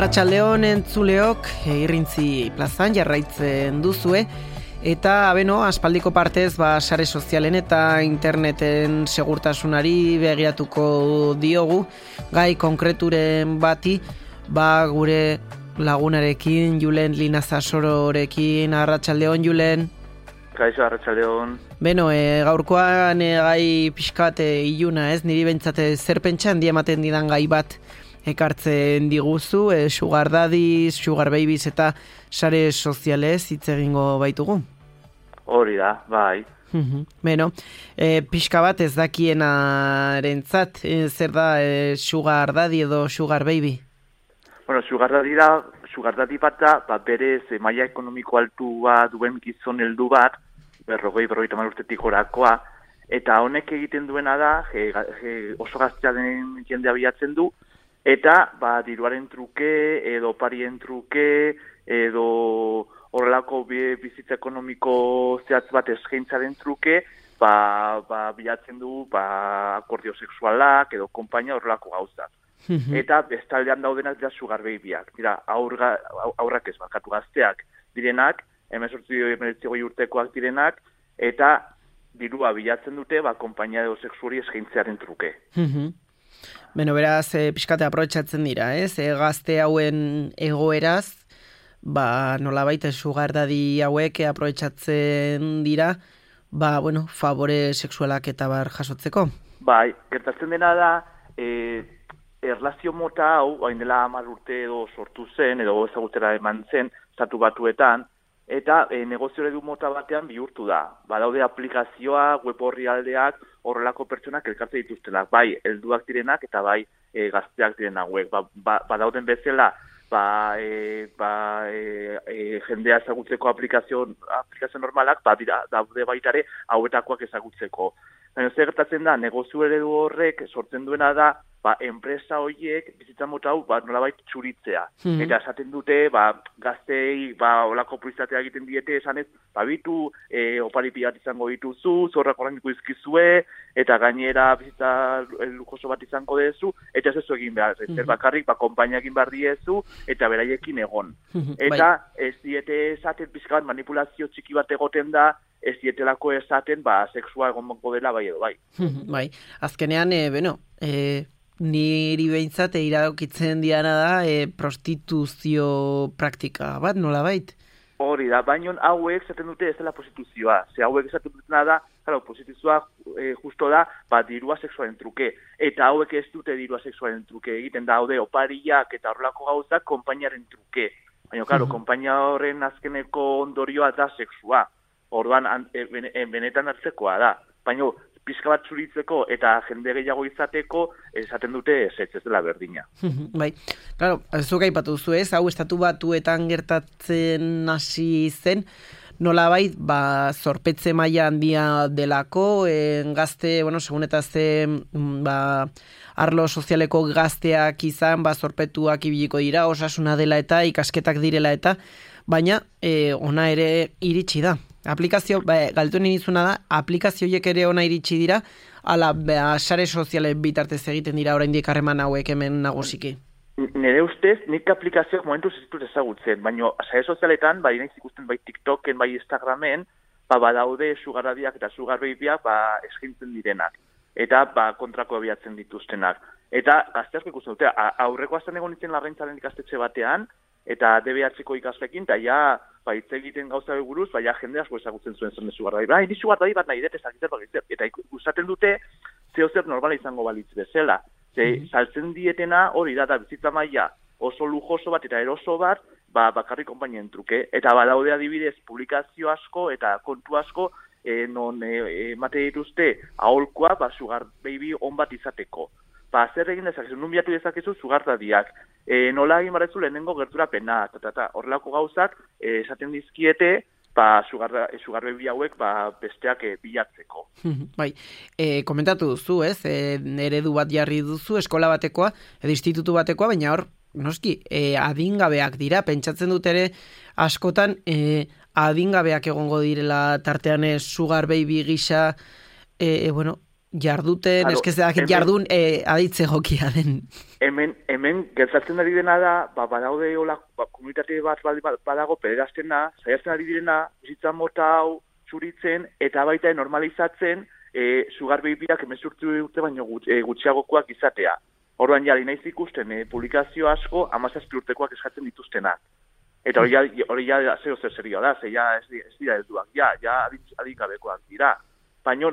Arratsaldeon entzuleok, Irrintzi plazan jarraitzen duzue, eta aspaldiko partez sare sozialen eta interneten segurtasunari begiratuko diogu, gai konkreturen bati, gure lagunarekin, Julen Linazasororekin. Arratsaldeon, Julen. Kaixo, arratsaldeon. Gaurkoan gai pixkat iluna, ez? Niri bentsate zer pentsan ematen didan gai bat ekartzen diguzu, sugar daddies, sugar babies eta sare sozialez hitz egingo baitugu. Hori da, bai. Pixka bat ez dakienarentzat, zer da sugar daddy edo sugar baby? Bueno, sugar daddy bat da, berez maila ekonomiko altua duen gizon heldu bat, 40-50 urtetik orakoa, eta honek egiten duena da, oso gaztea den jendea bilatzen du, eta diruaren truke, edo parien truke, edo horrelako bizitza ekonomiko zehatz bat eskaintzaren truke, bilatzen du akordio sexualak, edo konpainia horrelako gauzak. Eta bestaldean daudenak dira sugar babyak, dira aurrak ez barkatu gazteak direnak, 18-19 urtekoak direnak, eta dirua bilatzen dute konpainia edo sexuari eskaintzearen truke. Beraz, pixkate aprobetxatzen dira, ez? Gazte hauen egoeraz, nolabait sugar daddy hauek aprobetxatzen dira, favore sexualak eta jasotzeko. Bai, gertatzen dena da, erlazio mota hau, hain dela 10 urte edo sortu zen, edo ezagutera eman zen, Estatu Batuetan, eta negozio eredu mota batean bihurtu da. Badaude aplikazioa, web orrialdeak, horrelako pertsonak elkartzen dituztenak, bai helduak direnak eta bai gazteak direnak hauek. Badauden bezala, jendea ezagutzeko aplikazio normalak, daude baitare hauetakoak ezagutzeko. Baina zer gertatzen da, negozio eredu horrek sortzen duena da, enpresa horiek bizitza mota hau nolabait txuritzea. Eta esaten dute, gaztei olako publizitatea egiten diete esanez, bitu opari pilat izango dituzu, zorrak ordainduko dizkizue, eta gainera bizitza lujoso bat izango dezu, eta ez ezu egin behar. Zer bakarrik, konpainia egin behar diezu, eta beraiekin egon. Eta ez diete esaten pixka bat manipulazio txiki bat egoten da, ez dietelako esaten, sexua egon banko dela bai edo bai. Bai, azkenean, niri behintzat iradokitzen diana da prostituzio praktika bat, nolabait? Hori da, baina hauek esaten dute ez dela prostituzioa. Hauek esaten dutena da, prostituzioa justo da, dirua sexualen truke. Eta hauek ez dute dirua sexualen truke egiten daude opariak eta horrelako gauzak konpainiaren truke. Baina, konpainia horren azkeneko ondorioa da sexua. Orduan, benetan hartzekoa da. Baina, pixka bat zuritzeko eta jende gehiago izateko, esaten dute ez dela berdina. Bai, zuk aipatu zu ez, hau Estatu Batuetan gertatzen hasi zen, nolabait, zorpetze maila handia delako, gazte, segun eta arlo sozialeko gazteak izan, zorpetuak ibiliko dira, osasuna dela eta ikasketak direla eta, baina ona ere iritsi da. Aplikazio, galtu nizuna da, aplikazioiek ere ona iritsi dira, ala sare sozialen bitartez egiten dira oraindik harreman hauek hemen nagusiki. Nire ustez, nik aplikazioak momentuz ez ditut ezagutzen, baina sare sozialetan, naiz ikusten bai TikToken, bai Instagramen, badaude sugar daddyak eta sugar babyak eskaintzen direnak, eta kontrako abiatzen dituztenak. Eta gazte asko ikusten dute, aurreko astean egon nintzen Larraintzaren ikastetxe batean, eta DBH-ko ikaslekin, eta hitz egiten gauza buruz, jende asko ezagutzen zuen zen sugar daddy. Ni sugar daddy bat nahi dut eta ikusaten dute zeo zer normala izango balitz bezala. Saltzen dietena hori da bizitza maila oso lujoso bat eta eroso bat, bakarrik konpainien truke. Eta badaude adibidez publikazio asko eta kontu asko non emate dituzte aholkoa sugar baby on bat izateko. Zer egin dezakezu, nun bilatu dezakezu sugar daddyak. Nola egin barrezu lehenengo gerturapena, horrelako gauzak esaten dizkiete sugar baby hauek besteak bilatzeko. Bai, komentatu duzu, ez? Eredu bat jarri duzu, eskola batekoa, edo institutu batekoa, baina hor, noski, adingabeak dira, pentsatzen dut ere askotan adingabeak egongo direla tartean sugar baby gisa, jarduten, eskezeak jardun aditze jokia den. Hemen gertatzen ari dena da, badaude komunitate bat badago pederastena, saiatzen ari direna, bizitza mota hau zuritzen, eta baita normalizatzen sugar babyak 18 urte baino gutxiagokoak izatea. Orduan jari naiz ikusten publikazio asko 17 urtekoak eskatzen dituztenak. Eta hori ja zeo zer serioa da, ze ja ez dira helduak, ja adingabekoak dira. Baina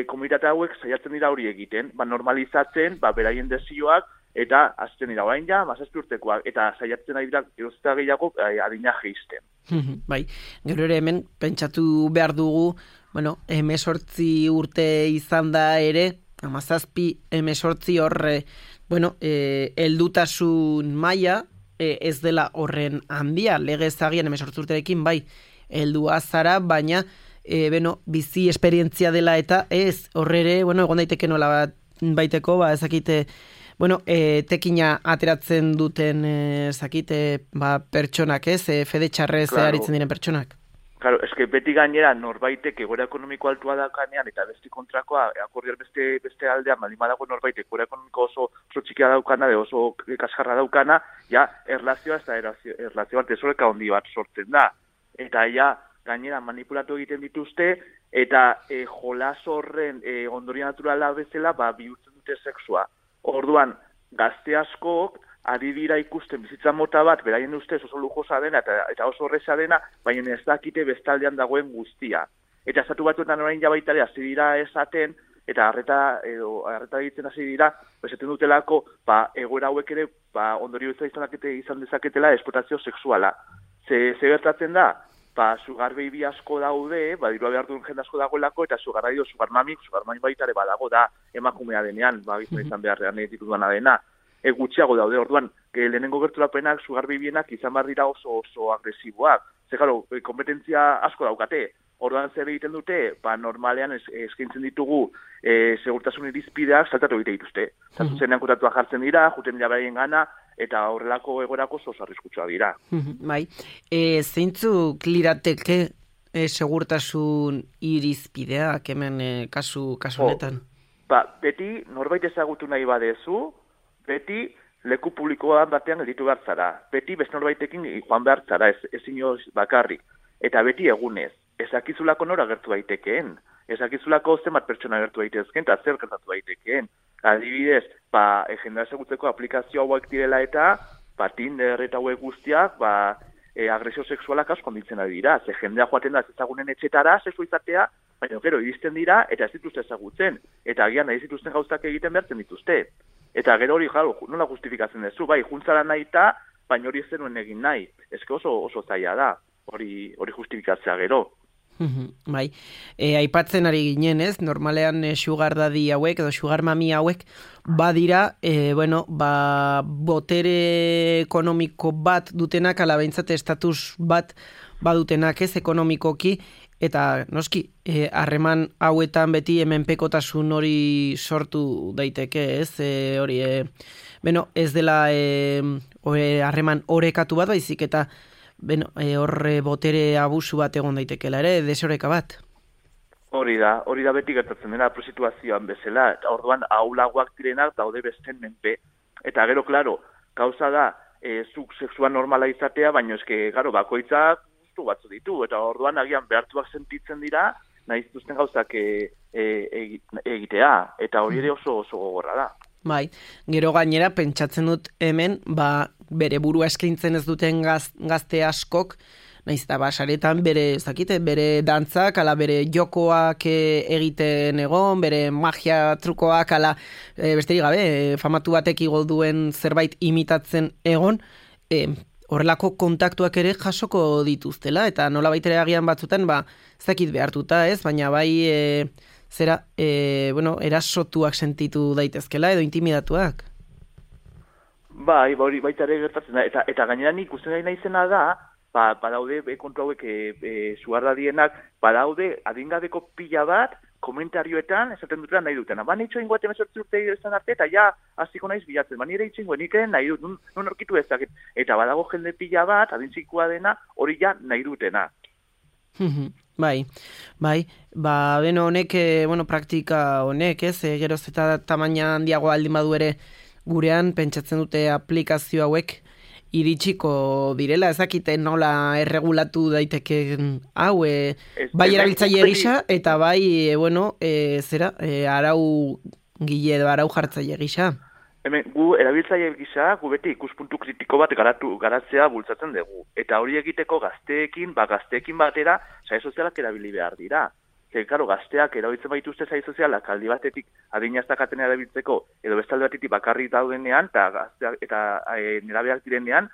komunitate hauek saiatzen dira hori egiten, normalizatzen, beraien desioak, eta azten dira orain ja, 17 urtekoak, eta saiatzen ari dira gerozta gehiago adina jeisten. Bai, gero ere hemen pentsatu behar dugu, 18 urte izan da ere, 17 horre, heldutasun maila ez dela horren handia, legez agian 18 urterekin bai, heldua zara, baina bizi esperientzia dela eta ez horrere, egon daiteke nola baiteko, ezakite, tekina ateratzen duten pertsonak, ez? Fede txarrez aritzen diren pertsonak. Claro, eske beti gainera norbaitek egoera ekonomiko altua daukanean eta beste kontrakoa, akordiar beste aldean, badago norbaitek egoera ekonomiko oso txikia daukana, oso kaskarra daukana, ja, erlazioa bat desoreka handi bat sortzen da. Eta ja, gainera manipulatu egiten dituzte, eta jolas horren ondorio naturala bezala, bihurtzen dute sexua. Orduan, gazte askok, ari dira ikusten bizitza mota bat, beraien ustez oso lujosa dena eta oso horreza dena, baina ez dakite bestaldean dagoen guztia. Eta estatu batuetan orain jabaitare hasi dira esaten, eta harreta egiten hasi dira, esaten dutelako, egoera hauek ere, ondorio izan dezaketela esplotazio sexuala. Ze gertatzen da? Sugar baby asko daude, dirua behar duen jende asko dagoelako, eta sugar mami baitare badago da emakumea denean, izan beharrean dituduana dena. Gutxiago daude, orduan, lehenengo gerturapenak, sugar babyenak izan behar dira oso agresiboak. Ze, claro, kompetentzia asko daukate. Orduan zer egiten dute, normalean eskaintzen ditugu segurtasun irizpideak saltatu egite dituzte. Zenean kutatuak jartzen dira, juten dira beraien gana, eta horrelako egorako oso arriskutsua dira. Bai, zeintzuk lirateke segurtasun irizpideak hemen kasu honetan? Beti norbait ezagutu nahi badezu, beti leku publikoan batean gelditu behar zara. Beti beste norbaitekin joan behar zara, ez inoz bakarrik. Eta beti egunez. Ezakizulako nora gertu daitekeen. Ezakizulako zenbat pertsona gertu daitezkeen, eta zer gertatu daitekeen. Adibidez, jendea ezagutzeko aplikazio hauek direla eta, Tinder eta hauek guztiak, agresio sexualak asko onditzen ari dira. Ze jendea joaten da ezagunen etxetara, sexu izatea, baina gero iristen dira, eta ez dituzte ezagutzen. Eta agian ez dituzten gauzak egiten behartzen dituzte. Eta gero hori, nola justifikatzen duzu, juntzara nahi eta, baina hori ez zenuen egin nahi. Ezke oso zaila da, hori justifikatzea gero. Bai, aipatzen ari ginen, ez? Normalean sugar daddy hauek edo sugar mami hauek badira, botere ekonomiko bat dutenak, ala behintzat estatus bat badutenak, ez, ekonomikoki, eta noski, harreman hauetan beti hemenpekotasun hori sortu daiteke, ez? Hori, ez dela harreman orekatu bat, baizik eta horre botere abusu bat egon daitekela ere, desoreka bat. Hori da beti gertatzen dena prostituzioan bezala, eta orduan aulagoak direnak daude besten menpe. Eta gero, klaro, gauza da, zuk sexua normala izatea, baina eske, bakoitzak gustu batzu ditu, eta orduan agian behartuak sentitzen dira, nahi zituzten gauzak egitea, eta hori ere oso gogorra da. Bai, gero gainera pentsatzen dut hemen, bere burua eskaintzen ez duten gazte askok, nahiz eta saretan bere dantzak, ala bere jokoak egiten egon, bere magia trukoak, ala besterik gabe, famatu batek igo duen zerbait imitatzen egon, horrelako kontaktuak ere jasoko dituztela, eta nola baitere agian batzutan, zakit behartuta ez, baina bai erasotuak sentitu daitezkela edo intimidatuak. Bai, hori baita ere gertatzen da, eta gainera nik uste nahi zena da, badaude kontu hauek suardadienak, badaude adingabeko pila bat, komentarioetan, esaten dutela nahi dutena. Nitxo ingoat 18 urte izan arte, eta ja, hasiko naiz bilatzen. Nire itxingo, nik nahi dut, non orkitu ezak. Eta badago jende pila bat, adintzikoa dena, hori ja nahi dutena. Bai, beno honek, praktika honek, ez, geroz eta tamaina handiago aldin badu ere gurean, pentsatzen dute aplikazio hauek iritsiko direla, ezakite nola erregulatu daiteke hau, bai erabiltzaile gisa, eta bai, arau gile edo arau jartzaile gisa. Hemen, gu erabiltzaile gisa, gu beti ikuspuntu kritiko bat garatzea bultzatzen dugu. Eta hori egiteko gazteekin batera, sare sozialak erabili behar dira. Karo, gazteak erabiltzen baituzte sare sozialak aldi batetik adinaztakaten erabiltzeko, edo bestalde batetik bakarrik daudenean, eta nerabeak direnean,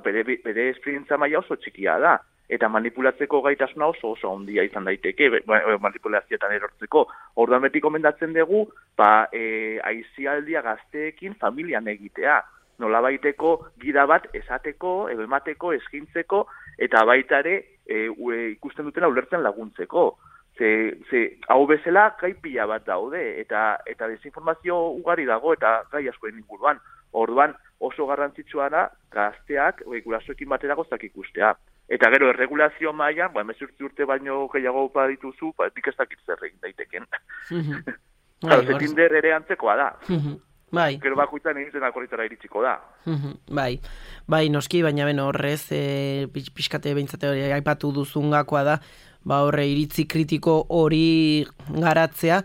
bere esperientza maila oso txikia da. Eta manipulatzeko gaitasuna oso handia izan daiteke, manipulazioetan erortzeko. Orduan beti komendatzen dugu, aizialdia gazteekin familian egitea. Nolabaiteko gida bat esateko, edo emateko, eskintzeko, eta baita ere ikusten dutena ulertzen laguntzeko. Hau bezala gai pila bat daude, eta desinformazio ugari dago, eta gai askoen inguruan. Orduan oso garrantzitsua da gazteak, gurasoekin batera gozak ikustea. Eta gero, erregulazio mailan, 18 urte baino gehiago dituzu, nik ez dakit zer egin daiteken. Tinder ere antzekoa da. Bai. Gero bakoitzan egiten akorritara iritsiko da. Bai, noski, baina horrez, pixkate behintzate hori aipatu duzungakoa da, horre iritzi kritiko hori garatzea,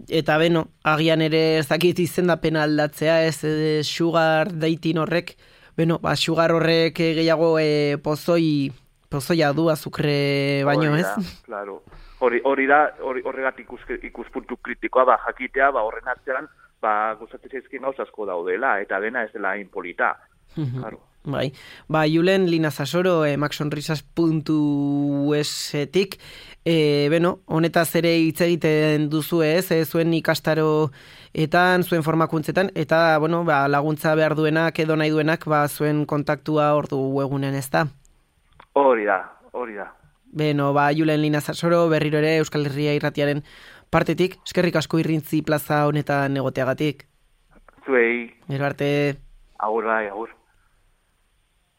eta agian ere ez dakit izendapena aldatzea, ez sugar dating horrek, sugar horrek gehiago pozoia du azukre baino, ez? Claro. Horregatik ikuspuntu kritikoa, jakitea, horren atzean, gustatzen zaizkien gauz asko daudela, eta dena ez dela inpolita. Claro. Bai, Julen Linazasoro, maxsonrisas.esetik, honetaz ere hitz egiten duzu ez, zuen ikastaroetan, zuen formakuntzetan, eta, laguntza behar duenak, edo nahi duenak, zuen kontaktua hor du egunen, ez da? Hori da. Julen Linazasoro, berriro ere Euskal Herria Irratiaren partetik, eskerrik asko Irrintzi plaza honetan egoteagatik. Zuei. Gero arte. Agur.